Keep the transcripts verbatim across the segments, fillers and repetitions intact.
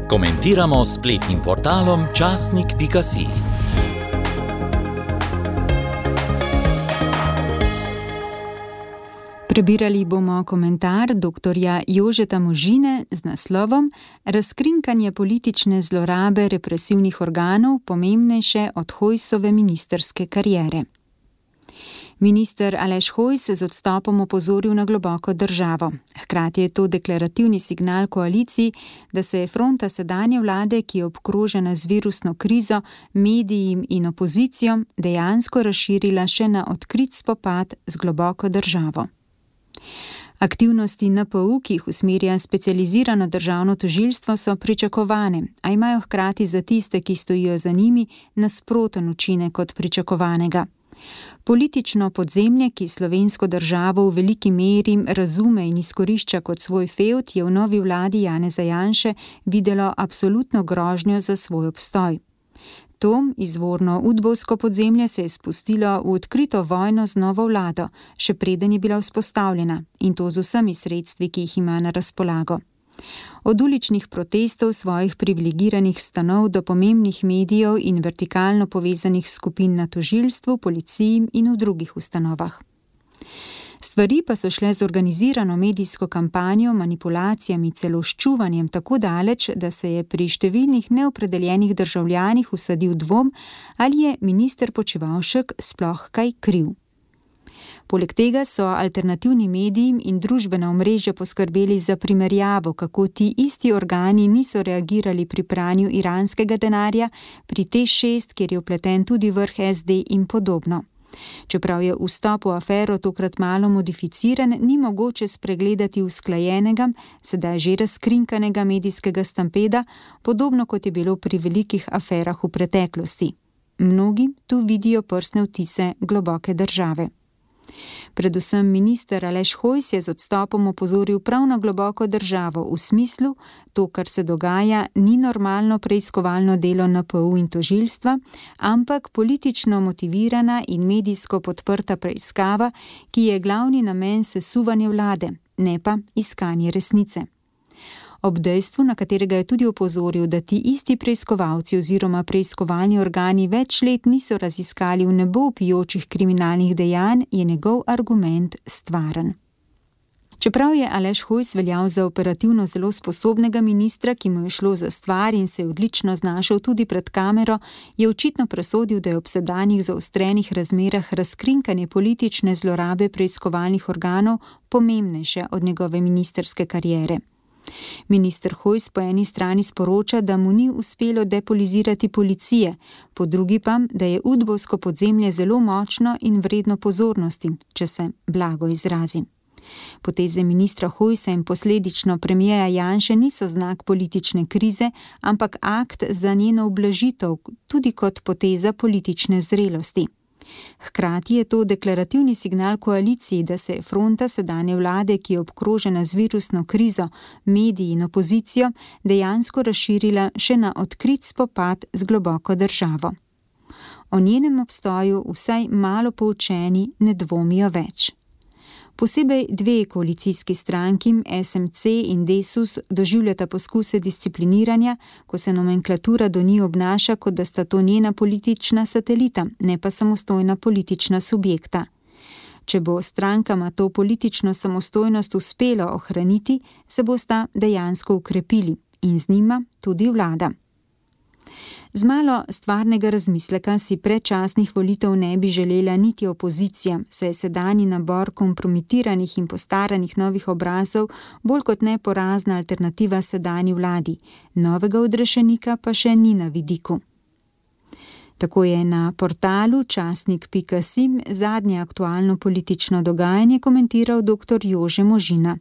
Komentiramo s spletnim portalom časnik pika si. Prebirali bomo komentar doktorja Jožeta Možine z naslovom Razkrinkanje politične zlorabe represivnih organov pomembnejše od Hojsove ministrske kariere. Minister Aleš Hojs z odstopom opozoril na globoko državo. Hkrati je to deklarativni signal koaliciji, da se je fronta sedanje vlade, ki je obkrožena z virusno krizo, mediji in opozicijo, dejansko razširila še na odkrit spopad z globoko državo. Aktivnosti N P U, ki jih usmerja specializirano državno tožilstvo, so pričakovane, a imajo hkrati za tiste, ki stojijo za njimi, nasproten učinek kot pričakovanega. Politično podzemlje, ki slovensko državo v veliki meri razume in izkorišča kot svoj fevd, je v novi vladi Janeza Janše videlo absolutno grožnjo za svoj obstoj. To izvorno udbovsko podzemlje se je spustilo v odkrito vojno z novo vlado, še preden je bila vzpostavljena, in to z vsemi sredstvi, ki jih ima na razpolago. Od uličnih protestov svojih privilegiranih stanov do pomembnih medijev in vertikalno povezanih skupin na tožilstvu, policiji in v drugih ustanovah. Stvari pa so šle z organizirano medijsko kampanjo, manipulacijami, celo ščuvanjem tako daleč, da se je pri številnih neopredeljenih državljanih usadil dvom, ali je minister Počivalšek sploh kaj kriv. Poleg tega so alternativni mediji in družbena omrežja poskrbeli za primerjavo, kako ti isti organi niso reagirali pri pranju iranskega denarja, pri T šest, kjer je vpleten tudi vrh S D in podobno. Čeprav je vstop v afero tokrat malo modificiran, ni mogoče spregledati usklajenega, sedaj že razkrinkanega medijskega stampeda, podobno kot je bilo pri velikih aferah v preteklosti. Mnogi tu vidijo prstne vtise globoke države. Predvsem minister Aleš Hojs je z odstopom opozoril prav na globoko državo v smislu, to, kar se dogaja, ni normalno preiskovalno delo N P U in tožilstva, ampak politično motivirana in medijsko podprta preiskava, ki je glavni namen sesuvanja vlade, ne pa iskanje resnice. Ob dejstvu, na katerega je tudi opozoril, da ti isti preiskovalci oziroma preiskovalni organi več let niso raziskali v nebo vpijočih kriminalnih dejanj, je njegov argument stvaren. Čeprav je Aleš Hojs veljal za operativno zelo sposobnega ministra, ki mu je šlo za stvar in se je odlično znašel tudi pred kamero, je očitno presodil, da je ob sedanjih zaostrenih razmerah razkrinkanje politične zlorabe preiskovalnih organov pomembnejše od njegove ministrske kariere. Minister Hojs po eni strani sporoča, da mu ni uspelo depolizirati policije, po drugi pa, da je udbovsko podzemlje zelo močno in vredno pozornosti, če se blago izrazi. Poteze ministra Hojsa in posledično premierja Janše niso znak politične krize, ampak akt za njeno ublažitev, tudi kot poteza politične zrelosti. Hkrati je to deklarativni signal koaliciji, da se je fronta sedanje vlade, ki je obkrožena z virusno krizo, mediji in opozicijo, dejansko razširila še na odkrit spopad z globoko državo. O njenem obstoju vsaj malo poučeni ne dvomijo več. Posebej dve koalicijski stranki, S M C in Desus, doživljata poskuse discipliniranja, ko se nomenklatura do njih obnaša, kot da sta to njena politična satelita, ne pa samostojna politična subjekta. Če bo strankama to politično samostojnost uspelo ohraniti, se bosta dejansko ukrepili in z njima tudi vlada. Z malo stvarnega razmisleka si predčasnih volitev ne bi želela niti opozicija, saj je sedanji nabor kompromitiranih in postaranih novih obrazov bolj kot ne porazna alternativa sedanji vladi, novega odrešenika pa še ni na vidiku. Tako je na portalu časnik pika si zadnje aktualno politično dogajanje komentiral doktor Jože Možina.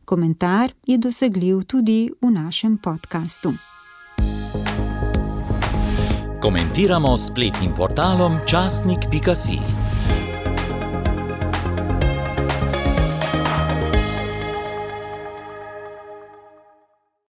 Komentar je dosegljiv tudi v našem podkastu. Komentiramo s spletnim portalom časnik pika si.